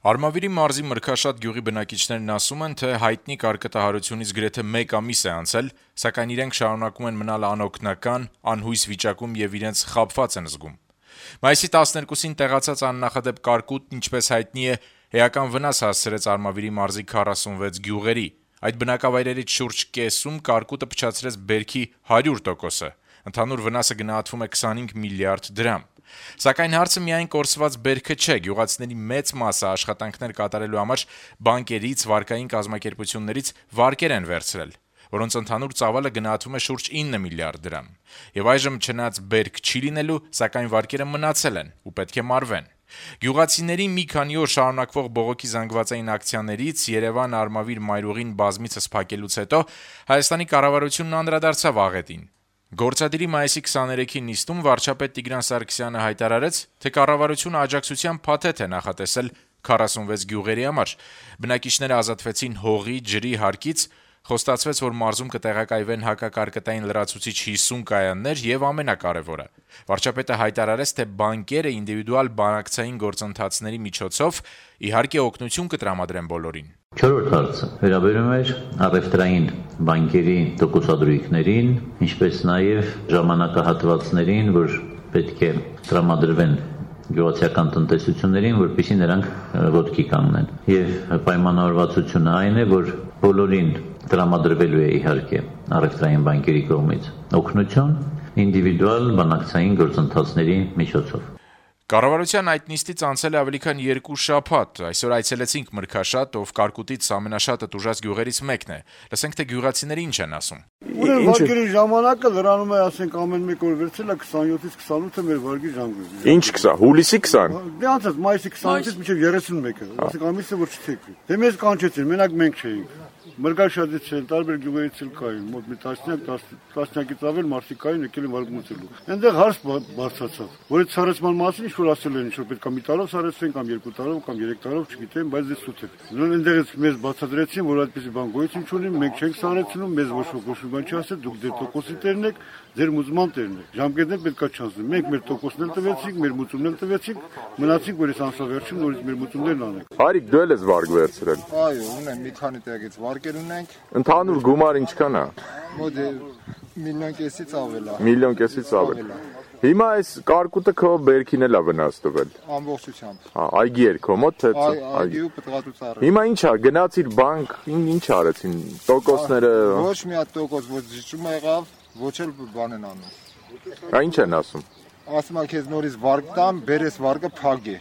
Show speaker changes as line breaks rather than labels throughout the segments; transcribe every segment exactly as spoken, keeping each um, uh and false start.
Արմավիրի մարզի Մրգաշատ գյուղի բնակիչներն ասում են, թե հայտնի կարկտահարությունից գրեթե մեկ ամիս է անցել, սակայն իրենք շարունակում են մնալ անօգնական, անհույս վիճակում եւ իրենց խաբված են զգում։ Մայիսի տասներկուսին տեղացած աննախադեպ կարկուտն, ինչպես հայտնի է, էական վնաս հասցրեց Արմավիրի մարզի քառասունվեց գյուղերի։ Այդ բնակավայրերից շուրջ կեսում կարկուտը փչացրեց բերքի հարյուր տոկոսը։ Ընդհանուր վնասը գնահատվում է քսանհինգ միլիարդ դրամ։ Սակայն հարցը միայն կորսված բերքը չէ, գյուղացիների մեծ մասը աշխատանքներ կատարելու համար բանկերից, վարկային կազմակերպություններից վարկեր են վերցրել, որոնց ընդհանուր ծավալը գնահատվում է շուրջ ինը միլիարդ դրամ։ Եվ այժմ չնայած բերք չի լինելու, սակայն վարկերը մնացել են ու պետք է մարվեն։ Գյուղացիների մի քանի օր շարունակվող բողոքի զանգվածային ակցիաներից Երևան-Արմավիր մայրուղին բազմիցս փակելուց հետո Հայաստանի կառավարությունն անդրադարձավ աղետին։ Գործադիրի մայիսի քսաներեքի նիստում վարչապետ Տիգրան Սարգսյանը հայտարարեց, թե կառավարությունը աջակցության փաթեթ է նախատեսել քառասունվեց գյուղերի համար։ Բնակիչները ազատվեցին հողի, ջրի հարկից, խոստացվեց, որ մարզում կտեղակայվեն հակակարկտային լրացուցիչ հիսուն կայաններ եւ ամենակարևորը։ Վարչապետը հայտարարեց, թե բանկերը ինդիվիդուալ բանակցային գործընթացների միջոցով իհարկե օգնություն կտրամադրեն բոլորին։
Չորրորդ հարցը վերաբերում էր առևտրային բանկերի տոկոսադրույքներին, ինչպես նաև ժամանակահատվածներին, որ պետք է տրամադրվեն գյուղացիական տնտեսություններին, որպեսզի նրանք ոտքի կանգնեն։ Եվ պայմանավորվածությունը այն է, որ բոլորին տրամադրվելու է իհարկե առևտրային բանկերի կողմից օգնություն ինդիվիդուալ բանակցային գործընթացների միջոցով։
Կառավարության այդ նիստից անցել է ավելի քան երկու շաբաթ։ Այսօր այցելեցինք Մրգաշատ, ով կարկուտից ամենաշատը տուժած գյուղերից մեկն է։ Լսենք, թե գյուղացիները ինչ են ասում։
Ուրեմն վարկերի ժամանակը լրանում է, ասենք, ամեն մեկ օր վերցել է քսանյոթից քսանութը մեր վարկի ժամկետը։
Ինչ քսան, հուլիսի քսան։
Դե անցած մայիսի քսանութից մինչև երեսունմեկը, ասենք ամիսը որ չթեքվի։ Դե մեզ կանչեցին, մենակ մենք չէինք։ Մրգաշատից էլ տարբեր գյուղերից էլ կային, մոտ մի տասնյակ, տասնյակից ավել մարդիկ կային, եկել են վարկմուծելու։ Այնտեղ հարց բարձրացավ, որից սարեցման մասին ինչ-որ ասել են, ինչ-որ պետք է մի տարով սարեցվեն, կամ երկու տարով, կամ երեք տարով, չգիտեմ, բայց դե սուտ է։ Այնտեղից մեզ բացատրեցին, որ այդպիսի բան գոյություն չունի, մենք չենք սարեցնում, մեզ ոչ ոք բան չի ասել, դուք դե տոկոսի տերն եք, ձեր մուծման տերն եք։ Ժամկետներ պետք է չանցնեն։ Մենք մեր տոկոսն էլ տվեցինք, մեր մուծումն էլ տվեցինք, մնացինք, որ այս ամսավերջին նորից մեր մուծումներն անենք։
Հարիկ, դու ես վարկ վերցրել։
Այո, ունեմ մի քանի տեղից վարկեր ունենք։
Ընդհանուր գումար ինչքան է։
Մոտ միլիոն կեսից ավել է։
Միլիոն կեսից ավել։ Հիմա այս կարկուտը քո բերքին էլ է վնաս տվել։
Ամբողջությամբ։
Հա, այգի էր քո մոտ, թե՞
այ այգու պտղատուցառը։
Հիմա ի՞նչ է, գնացիր բանկ, ինչ արեցին, տոկոսները։
Ոչ մի հատ տոկոս ոչ զիջում եղավ, ոչ էլ բան են անում։
Դա ինչ են ասում։
Ասում եմ քեզ նորից վարկ տամ, բերես վարկը փագ է։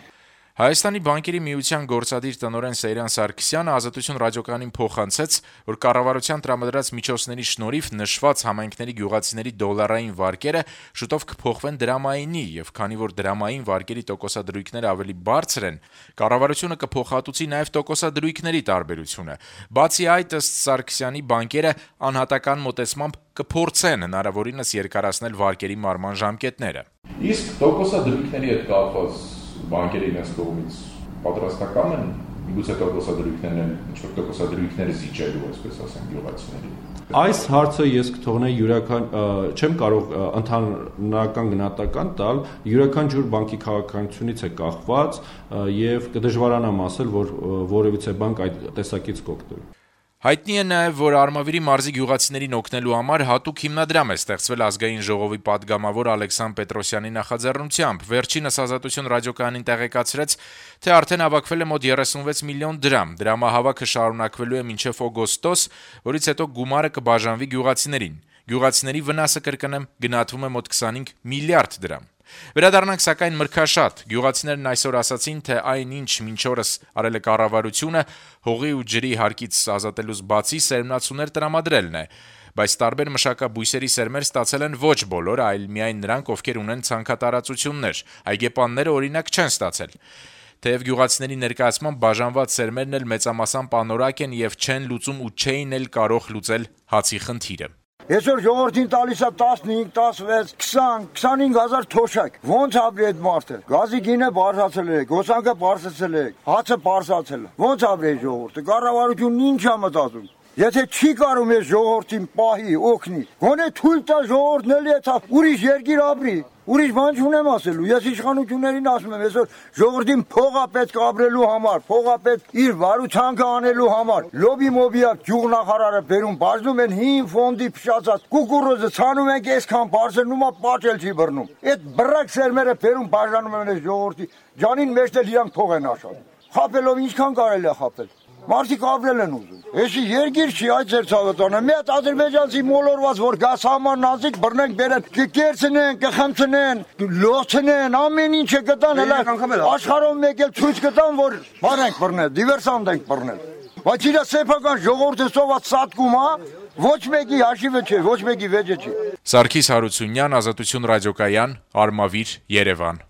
Հայաստանի բանկերի միության գործադիր տնօրեն Սեյրան Սարգսյանը Ազատություն ռադիոկայանին փոխանցեց, որ կառավարության տրամադրած միջոցների շնորհիվ նշված համայնքների գյուղացիների դոլարային վարկերը շուտով կփոխվեն դրամայինի, եւ քանի որ դրամային վարկերի տոկոսադրույքները ավելի բարձր են, կառավարությունը կփոխհատուցի նաեւ տոկոսադրույքների տարբերությունը։ Բացի այդ, ըստ Սարգսյանի, բանկերը անհատական մոտեցմամբ կփորձեն հնարավորինս երկարացնել վարկերի մարման ժամկետները։
Իսկ տոկոսադրույքների հետ կապված բանկերի իրենց կողմից պատրաստական են միգուցե տոկոսադրույքներն ինչ-որ տոկոսադրույքներ զիջելու, այսպես ասեմ, գյուղացիների։
Այս հարցը ես կթողնեի յուրական չեմ կարող ընդհանրական գնահատական տալ, յուրաքանչյուր բանկի քաղաքականությունից է կախված եւ կդժվարանամ ասել, որ որևիցե բանկ այդ տեսակից կօգտվի։
Հայտնի է նաև, որ Արմավիրի մարզի գյուղացիներին օգնելու համար հատուկ հիմնադրամ է ստեղծվել ազգային ժողովի падգամավոր Ալեքսան Պետրոսյանի նախաձեռնությամբ։ Վերջինս Ազատություն ռադիոկայանին տեղեկացրեց, թե արդեն հավաքվել է մոտ երեսունվեց միլիոն դրամ։ Դրամահավաքը շարունակվելու է մինչև օգոստոս, որից հետո գումարը կբաժանվի գյուղացիներին։ Գյուղացիների վնասը, կրկնեմ, գնահատվում է մոտ քսանհինգ միլիարդ դրամ։ Վերադառնանք սակայն Մրգաշատ։ Գյուղացիներն այսօր ասացին, թե այնինչ մինչ օրս արել է կառավարությունը հողի ու ջրի հարկից ազատելուց բացի սերմնացուներ տրամադրելն է, բայց տարբեր մշակաբույսերի սերմեր ստացել են ոչ բոլորը, այլ միայն նրանք, ովքեր ունեն ցանքատարածություններ։ Այգեպանները օրինակ չեն ստացել։ Թեև գյուղացիների ներկայացմամբ բաժանված սերմերն էլ մեծամասամբ անորակ են եւ չեն լուծում ու չէին էլ կարող լուծել հացի խնդիրը։
Այսօր ժողովրդին տալիս է տասնհինգ, տասնվեց, քսան, քսանհինգ հազար թոշակ։ Ոնց ապրի այդ մարդը։ Գազի գինը բարձրացել է, գոսանքը բարձրացել է, հացը բարձրացել է։ Ոնց ապրի ժողովուրդը։ Կառավարությունն ինչ է մտածում։ Եթե չի կարում է ժողովրդին պահի, օգնի, գոնե թույլ տա ժողովուրդն էլի էթա ուրիշ երկիր ապրի։ Ուրիշ բան չունեմ ասելու, ես իշխանություններին ասում եմ, այսօր ժողովրդին փողա պետք ապրելու համար, փողա պետք իր վարուցանքը անելու համար։ Լոբի մոբիա գյուղնախարարը բերում բաժնում են հին ֆոնդի փշացած կուկուրուզը ցանում ենք այսքան բարձր նոմա պատել չի բռնում։ Այդ բռակ սերմերը բերում բաժանում են այս ժողովրդի ջանին մեջ էլ իրանք փող են աշխատում։ Խապելով ինչքան կարելի է խապել։ Մարդիկ ապրել են ուզում։ Էսի երկիր չի այդ ձեր ցավոտանը։ Մի հատ ադրբեջանցի մոլորված որ գաս համար նազիկ բռնենք բերեն, կերցնեն, կխմցնեն, լոցնեն, ամեն ինչը գտան, հələ աշխարհում մեկ էլ ցույց կտան, որ բարենք բռնել, դիվերսանտ ենք բռնել։ Բայց իրա սեփական ժողովուրդը սոված սատկում է, ոչ մեկի հաշիվը չէ, ոչ մեկի վեճը չէ։
Սարգիս Հարությունյան, Ազատություն ռադիոկայան, Արմավիր, Երևան։